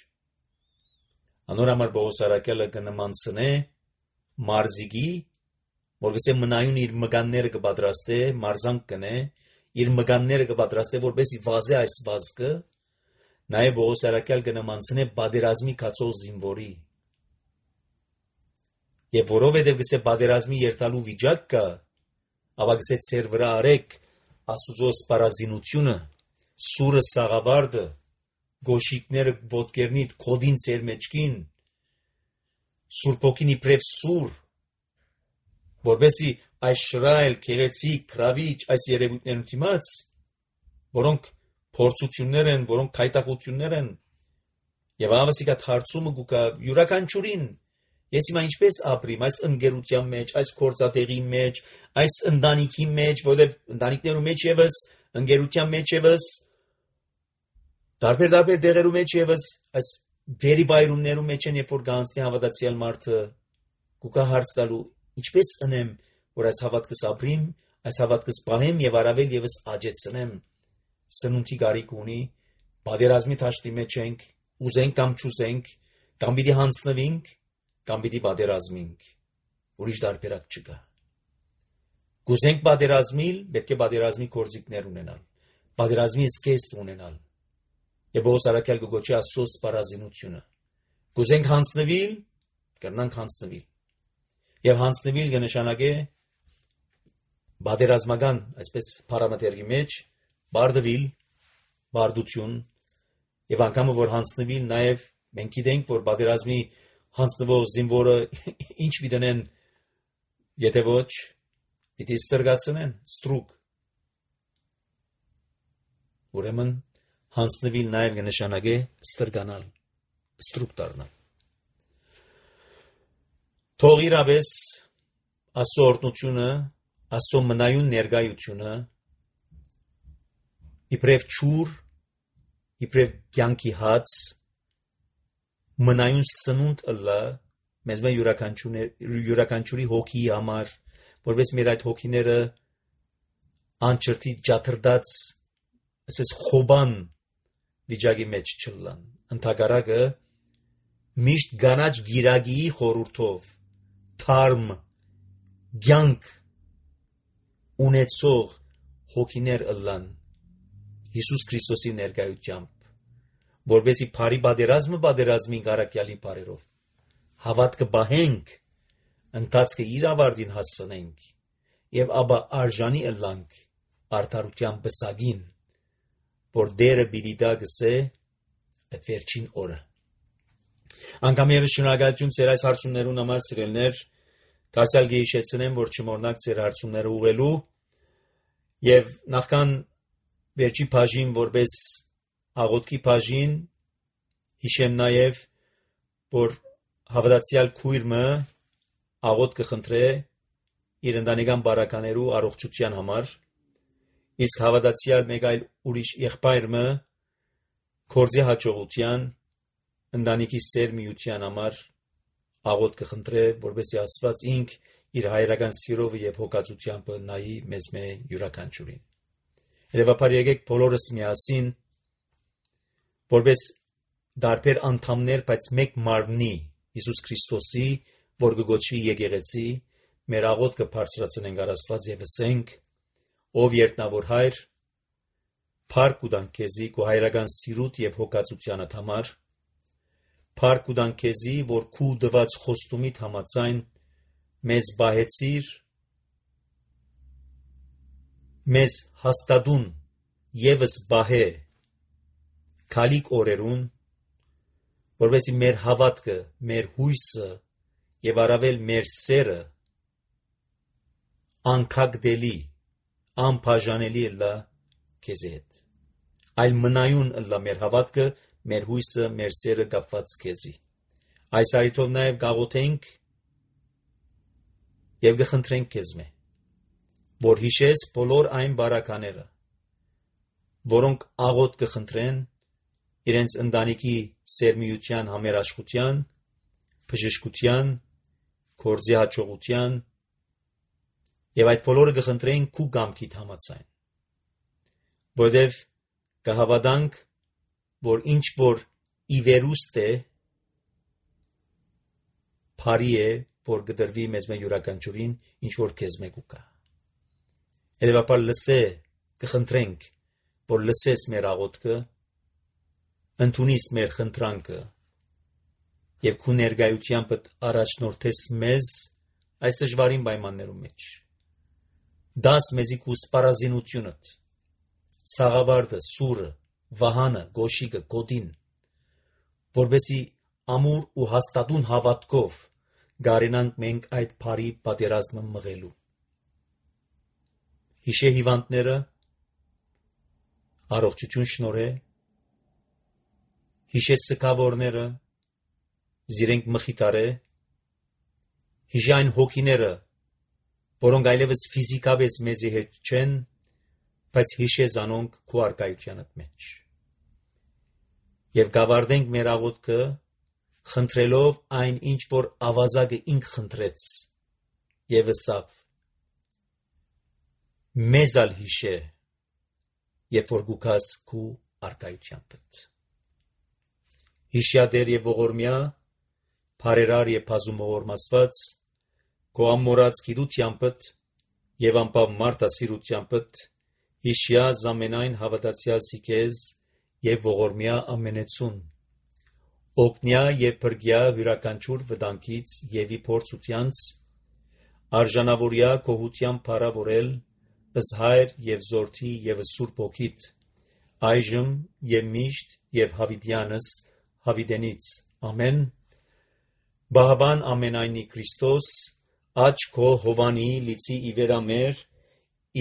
A: Անոր համար Պողոս առաքյալը կնմանցնե մարզիկի, որ գսե մնայուն իր մգանները կպատրաստե, մարզանք կնե, իր մգանները կպատրաստե, որպեսզի վազե այս վազքը, նաև Պողոս առաքյալ կնմանցնե բادرազմի կացող զինվորի։ Եվ որովհետև գսե բادرազմի երթալու վիճակ կա, ապա գսե ծեր վրա արեք Աստուծո սպառազինությունը, սուրը սաղավարտը, գոշիկները ոտքերնիդ կոդին ծեր մեջքին, Սուրբ Հոգին իբրև սուր, որպեսզի այս շրայլ, քեղեցիկ, քրավիչ այս երևույթներն դիմաց, որոնք փորձություններ են, որոնք քայտակություններ են, եւ ավասիկա հարցումը գուկա յուրաքանչյուրին, ես հիմա ինչպես ապրիմ այս ընկերության մեջ, այս գործատեղի մեջ, այս ընտանիքի մեջ, որովհետեւ ընտանիքներու մեջ եւս, ընկերության մեջ եւս, տարբեր-տարբեր դեղերու մեջ եւս, այս վերիվայրումներու մեջ են, երբ որ գանցնի հավատացյալ մարդը, գուկա հարց տալու, ինչպես ընեմ, որ այս հավատքս ապրիմ, այս հավատքս պահեմ եւ առավել եւս աճեցնեմ, սնունդի գարիք ունի, բادرազմի թաշտի մեջ ենք, ուզենք կամ չուզենք, կամ պիտի հանձնվենք, կամ պիտի բادرազմենք, ուրիշ տարբերակ չկա։ Գուզենք բادرազմիլ, պետք է բادرազմի գործիքներ ունենալ, բادرազմի սկեստ ունենալ։ Եվ Պողոս առաքյալ կգոչի Աստծո սպառազինությունը։ Գուզենք հանձնվիլ, կրնանք հանձնվիլ։ Եվ հանձնվիլ կնշանակե բادرազմական, այսպես փարամետրի մեջ, բարդվիլ, բարդություն, եւ անգամ որ հանձնվիլ, նաեւ մենք գիտենք, որ բادرազմի հանձնվող զինվորը ինչ պիտենեն, եթե ոչ, պիտի ստրգացնեն, ստրուկ։ Ուրեմն հանձնվիլ նաև կնշանակե ստրգանալ, ստրուկ դառնալ։ Թող իրապես Աստծո օրհնությունը, Աստծո մնայուն ներկայությունը իբրև ճուր, իբրև կյանքի հաց, մնայուն սնունդ ըլլա մեզ մե յուրաքանչյուրի հոգի համար, որպես մեր այդ հոգիները անչրտի ջաթրդած, այսպես խոբան վիճակի մեջ չլան։ Ընդհակառակը միշտ գանաչ գիրագիի խորհրդով թարմ կյանք ունեցող հոգիներ ըլլան Հիսուս Քրիստոսի ներկայությամբ, որպեսզի բարի բادرազմը բادرազմին կարակյալի բարերով հավատքը բահենք, ընթացքը իր ավարտին հասցնենք եւ ապա արժանի ըլլանք արդարության բսագին, որ դերը պիտի դա գսե այդ վերջին օրը։ Անգամ եւս շնորհակալություն ձեր այս հարցումներուն համար, սիրելիներ, դարձյալ գեհիշեցնեմ, որ չմոռնաք ձեր հարցումները ուղղելու եւ նախքան վերջի բաժին որպես աղոթքի բաժին հիշեմ նաեւ, որ հավատացյալ քույրը աղոթ կխնդրե իր ընտանեկան բարականերու առողջության համար, իսկ հավատացյալ մեկ այլ ուրիշ եղբայրը կորձի հաջողության, ընտանիքի սեր միության համար աղոթ կխնդրե, որպեսզի Աստված ինք իր հայրական սիրով եւ հոգացությամբ նայի մեզ մե յուրաքանչյուրին։ Հետևաբար եկեք բոլորս միասին, որպես դարբեր անդամներ, բայց մեկ մարմնի Հիսուս Քրիստոսի, որ կգոչվի եկեղեցի, մեր աղոթքը բարձրացնենք առ Աստված եւ ասենք. Ով երտնավոր հայր, փառք ուտանք քեզի քո հայրական սիրուտ եւ հոգացությանդ համար, փառք ուտանք քեզի, որ քու դված խոստումիդ համաձայն մեզ բահեցիր, մեզ հաստատուն եւս բահե քալիք օրերուն, որովհետեւ մեր հավատքը, մեր հույսը եւ առավել մեր սերը անկագդելի, անբաժանելի ըլլա քեզ հետ։ Այլ մնայուն ըլլա մեր հավատքը, մեր հույսը, մեր սերը կապված քեզի։ Այս արիթով նաեւ գաղութենք եւ գխնդրենք քեզ մե, որ հիշես բոլոր այն բարակաները, որոնք աղոտ կխնդրեն իրենց ընտանիքի սերմիության համերաշխության, բժշկության, գործի հաջողության եւ այդ բոլորը կխնդրեն քու կամքիդ համաձայն, որովհետեւ կհավատանք, որ ինչ որ ի վերուստ է, բարի է, որ կդրվի մեզ մեր յուրաքանչյուրին ինչ որ քեզ մեկ ուկա։ Հետևաբար լսե, կխնդրենք, որ լսես մեր աղոթքը, ընդունիս մեր խնդրանքը եւ քու ներկայությամբ առաջնորդես մեզ այս դժվարին պայմաններում մեջ։ Դաս մեզի քու սպառազինությունդ, սաղավարտը, սուրը, վահանը, գոշիկը, գոդին, որբեսի ամուր ու հաստատուն հավատքով գարենանք մենք այդ բարի պատերազմը մղելու։ Հիշե հիվանդները, առողջություն շնորհե, հիշե սգավորները, զիրենք մխիտարե, հիշե այն հոգիները, որոնք այլևս ֆիզիկապես մեզի հետ չեն, բայց հիշե զանոնք քու արկայությանդ մեջ։ Եվ գավարդենք մեր աղոթքը, խնդրելով այն ինչ որ ավազակը ինք խնդրեց եւ ըսավ մեզալ հիշե երբ որ գուքաս քու արկայությանդ հիշյադեր եւ ողորմյա բարերար եւ բազումողորմասված քո ամորած գիտությանդ եւ անպավ մարտասիրությանդ հիշյա զամենայն հավատացյալ սիկեզ եւ ողորմյա ամենեցուն օգնյա եւ բրգյա յուրաքանչյուր վտանգից եւ իփորձությանց արժանավորյա կողության փառավորել ըս հայր եւ զորթի եւ սուրբ ոգիտ այժմ եւ միշտ եւ հավիտյանս հավիտենից ամեն բահբան ամենայնի Քրիստոս աչ քո հովանի լիցի իվերամեր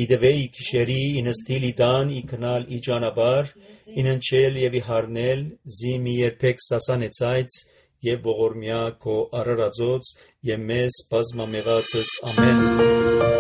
A: իդվեի քիշերի ինստիլ իդան իքնալ իջանաբար ինընչել եւ իհարնել զիմի երբեք սասանեցայց եւ ողորմյա քո արարածոց եւ մեզ բազմամեղացս ամեն